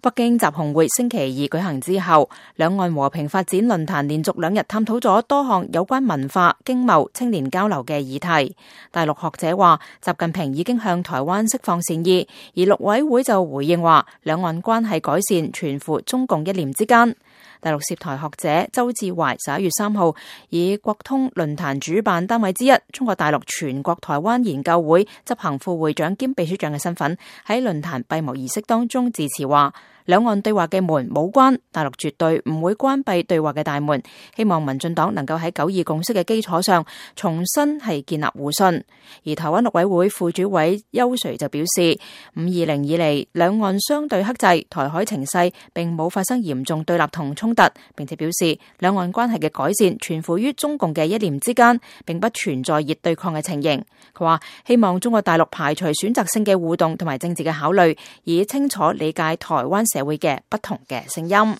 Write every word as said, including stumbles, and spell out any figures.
北京習紅會星期二舉行之後，兩岸和平發展論壇連續兩日探討咗多項有關文化、經貿、青年交流嘅議題。大陸學者話，習近平已經向台灣釋放善意，而陸委會就回應話，兩岸關係改善全乎中共一念之間。大陸涉台學者周志懷十一月三號以國通論壇主辦單位之一中國大陸全國台灣研究會執行副會長兼秘書長嘅身份，喺論壇閉幕儀式當中致辭話，兩岸對話嘅門冇關，大陸絕對唔會關閉對話嘅大門。希望民進黨能夠喺九二共識嘅基礎上重新係建立互信。而台灣陸委會副主委邱垂就表示，五二零以嚟兩岸相對克制，台海情勢並冇發生嚴重對立同衝突，並且表示兩岸關係嘅改善全乎於中共嘅一念之間，並不存在熱對抗嘅情形。佢話希望中國大陸排除選擇性嘅互動同埋政治嘅考慮，以清楚理解台灣社會嘅不同嘅聲音。